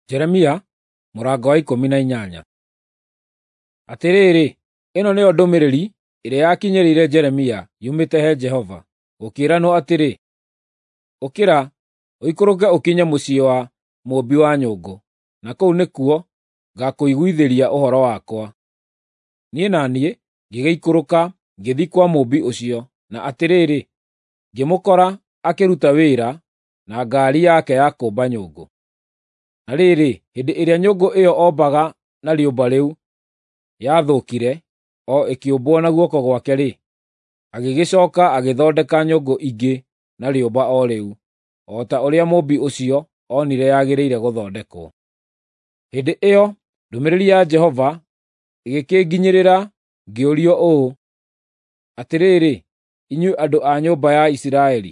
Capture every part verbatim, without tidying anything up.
Jeremia mũrango wa ikũmi na inyanya. Atĩrĩrĩ, ĩno nĩyo ndũmĩrĩri ĩrĩa yakinyĩrĩire Jeremia yumĩte he Jehova, gũkĩĩranwo atĩrĩ: Ũkĩra, ũikũrũke ũkinye mũciĩ wa mũũmbi wa nyũngũ, na kũu nĩkuo ngakũiguithĩria ũhoro wakwa. Niĩ na niĩ ngĩgĩikũrũka ngĩthiĩ kwa mũũmbi ũcio, na atĩrĩrĩ, ngĩmũkora akĩruta wĩra na ngaari yake ya kũũmba nyũngũ. Na rĩrĩ, hĩndĩ ĩrĩa nyũngũ ĩyo ombaga na rĩũmba rĩu yathũkire o ĩkĩũmbwo na guoko gwake-rĩ, agĩgĩcooka agĩthondeka nyũngũ ingĩ na rĩũmba o rĩu, o ta ũrĩa mũũmbi ũcio onire yagĩrĩire gũthondekwo. Hĩndĩ ĩyo ndũmĩrĩri ya Jehova ĩgĩkĩnginyĩrĩra ngĩũrio ũũ: Atĩrĩrĩ, inyuĩ andũ a nyũmba ya Isiraeli,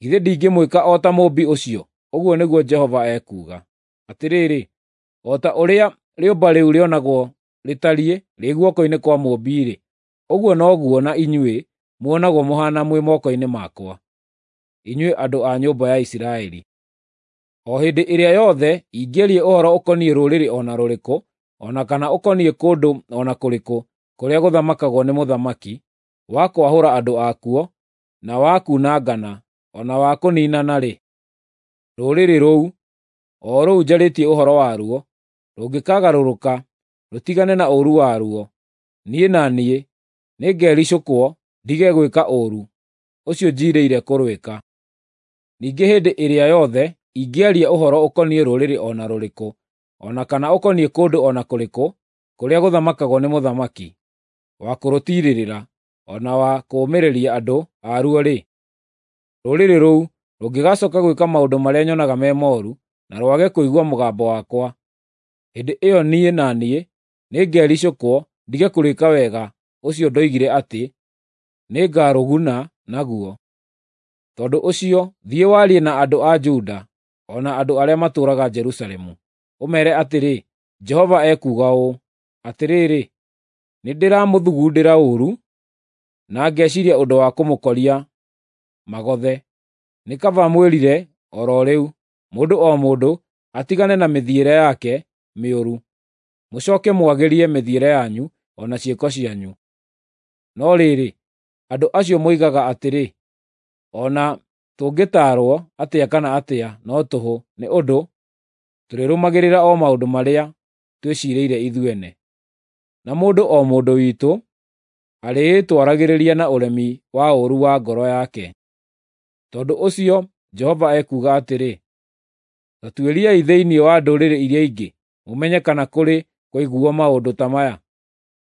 githĩ ndingĩmwĩka o ta mũũmbi ũcio? Ũguo nĩguo Jehova ekuuga. Atĩrĩrĩ, o ta ũrĩa rĩũmba rĩu rĩonagwo rĩtariĩ rĩ guoko-inĩ kwa mũũmbi-rĩ, ũguo noguo na inyuĩ muonagwo mũhaana mwĩ moko-inĩ makwa, inyuĩ andũ a nyũmba ya Isiraeli. O hĩndĩ ĩrĩa yothe ingĩaria ũhoro ũkoniĩ rũrĩrĩ o na rũrĩkũ, o na kana ũkoniĩ kũndũ o na kũrĩkũ kũrĩa gũthamakagwo nĩ mũthamaki, wa kwahũra andũ akuo, na wa kuunangana, o na wa kũniinana-rĩ, rũrĩrĩ rũu, o rũu njarĩtie ũhoro waruo, rũngĩkagarũrũka rũtigane na ũũru waruo, niĩ na niĩ nĩngericũkwo ndige gwĩka ũũru ũcio njiirĩire kũrwĩka. Ningĩ hĩndĩ ĩrĩa yothe ingĩaria ũhoro ũkoniĩ rũrĩrĩ o na rũrĩkũ, o na kana ũkoniĩ kũndũ o na kũrĩkũ kũrĩa gũthamakagwo nĩ mũthamaki, wa kũrũtiirĩrĩra, o na wa kũũmĩrĩria andũ aruo-rĩ, rũrĩrĩ rũu rũngĩgacooka gwĩka maũndũ marĩa nyonaga me mooru, na rwage kũigua mũgambo wakwa, hĩndĩ ĩyo niĩ na niĩ nĩngericũkwo ndige kũrĩĩka wega ũcio ndoigire atĩ nĩngarũguna naguo. Tondũ ũcio thiĩ warie na andũ a Juda o na andũ arĩa matũũraga Jerusalemu, ũmeere atĩrĩ, ‘Jehova ekuuga ũũ: Atĩrĩrĩ, nĩndĩramũthugundĩra ũũru, na ngeciiria ũndũ wa kũmũkoria magothe. Nĩ kaba mwĩrire o ro rĩu, mũndũ o mũndũ atigane na mĩthiĩre yake mĩũru, mũcooke mwagĩrie mĩthiĩre yanyu o na ciĩko cianyu. No rĩrĩ, andũ acio moigaga atĩrĩ, ‘O na tũngĩtaarwo atĩa kana atĩa no tũhũ, nĩ ũndũ tũrĩrũmagĩrĩra o maũndũ marĩa twĩciirĩire ithuene, na mũndũ o mũndũ witũ arĩĩtwaragĩrĩria na ũremi wa ũũru wa ngoro yake.’ Tondũ ũcio Jehova ekuuga atĩrĩ, Ta tuĩriai thĩinĩ wa ndũrĩrĩ iria ingĩ, mũmenye kana kũrĩ kwaiguuo maũndũ ta maya.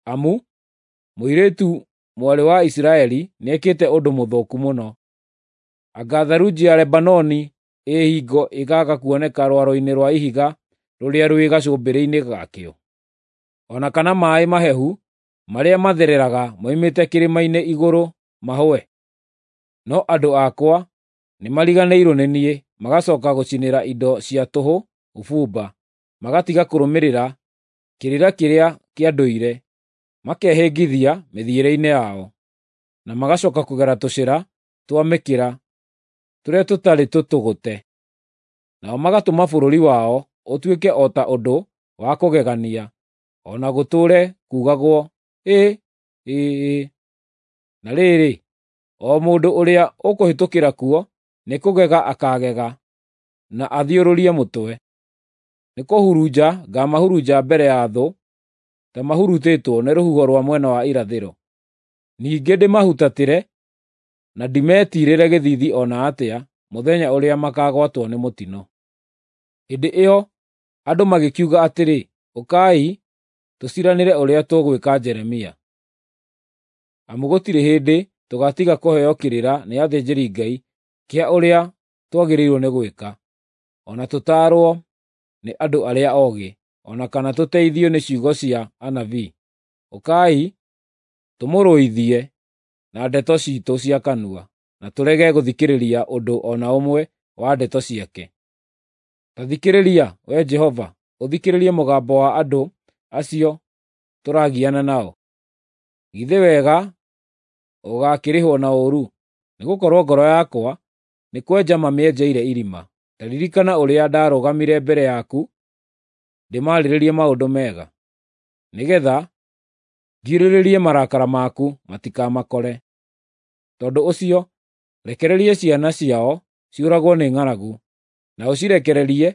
Amu mũirĩtu mwarĩ wa Isiraeli nĩekĩte ũndũ mũthũku mũno. Anga tharunji ya Lebanoni ĩ hingo ĩkaaga kuoneka rwaro-inĩ rwa ihiga rũrĩa rwĩ gacũmbĩrĩ-inĩ gakĩo? O na kana maaĩ mahehu marĩa mathereraga moimĩte kĩrĩma-inĩ igũrũ mahũe? No andũ akwa nĩmariganĩirwo nĩ niĩ, magacooka gũcinĩra indo cia tũhũ ũbumba, magatiga kũrũmĩrĩra kĩrĩra kĩrĩa kĩa ndũire, makehĩngithia mĩthiĩre-inĩ yao, na magacooka kũgera tũcĩra twa mĩkĩra tũrĩa tũtarĩ tũtũgũte. Nao magatũma bũrũri wao ũtuĩke o ta ũndũ wa kũgegania, o na gũtũũre kuugagwo, “Ĩ! Ĩ!” Na rĩrĩ, o mũndũ ũrĩa ũkũhĩtũkĩra kuo nĩkũgega akaagega na athiũrũrie mũtwe. Nĩkũhurunja ngaamahurunja mbere ya thũ ta mahurutĩtwo nĩ rũhuho rwa mwena wa irathĩro. Ningĩ ndĩmahutatĩre na ndĩmetiirĩre gĩthiithi o na atĩa mũthenya ũrĩa makaagwatwo nĩ mũtino. Hĩndĩ ĩyo andũ magĩkiuga atĩrĩ, “Ũkai, tũciiranĩre ũrĩa tũgwĩka Jeremia. Amu gũtirĩ hĩndĩ tũgaatiga kũheo kĩrĩra nĩ athĩnjĩri-Ngai kĩa ũrĩa twagĩrĩirwo nĩ gwĩka, o na tũtaarwo nĩ andũ arĩa oogĩ, o na kana tũteithio nĩ ciugo cia anabii. Ũkai, tũmũrũithie na ndeto ciitũ cia kanua, na tũrege gũthikĩrĩria ũndũ o na ũmwe wa ndeto ciake. Ta thikĩrĩria, Wee Jehova, ũthikĩrĩrie mũgambo wa andũ acio tũragiana nao. Githĩ wega ũgaakĩrĩhwo na ũũru? Nĩgũkorwo ngoro yakwa nĩ kwenja mamĩenjeire irima. Ta ririkana ũrĩa ndarũgamire mbere yaku ndĩmaarĩrĩrie maũndũ mega, nĩgeetha ngirĩrĩrie marakara maku matikamakore. Tondũ ũcio rekereria ciana ciao ciũragwo nĩ ng'aragu, na ũcirekererie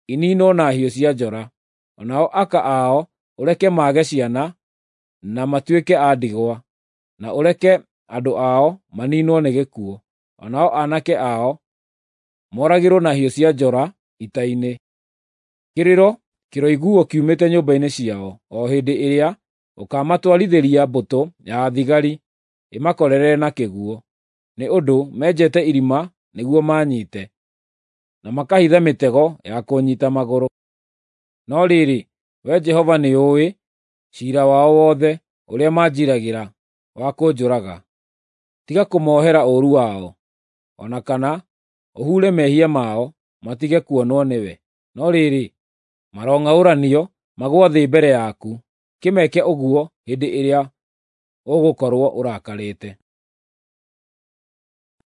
iniinwo na hiũ cia njora, o nao aka ao ũreke mage ciana na matuĩke a ndigwa, na ũreke andũ ao maniinwo nĩ gĩkuũ, o nao aanake ao mooragĩrwo na hiũ cia njora ita-inĩ. Kĩrĩro kĩroiguuo kiumĩte nyũmba-inĩ ciao o hĩndĩ ĩrĩa ũkaamatwarithĩria mbũtũ ya thigari ĩmakorerere na kĩguũ, nĩ ũndũ menjete irima nĩguo maanyiite, na makahitha mĩtego ya kũnyiita magũrũ. No rĩrĩ, Wee Jehova nĩũũĩ ciira wao wothe ũrĩa manjiiragĩra wa kũnjũraga. Tiga kũmoohera ũũru wao, o na kana ũhuure mehia mao matige kuonwo nĩwe. No rĩrĩ, marong'aũranio magũa thĩ mbere yaku; kĩmeke ũguo hĩndĩ ĩrĩa ũgũkorwo ũrakarĩte.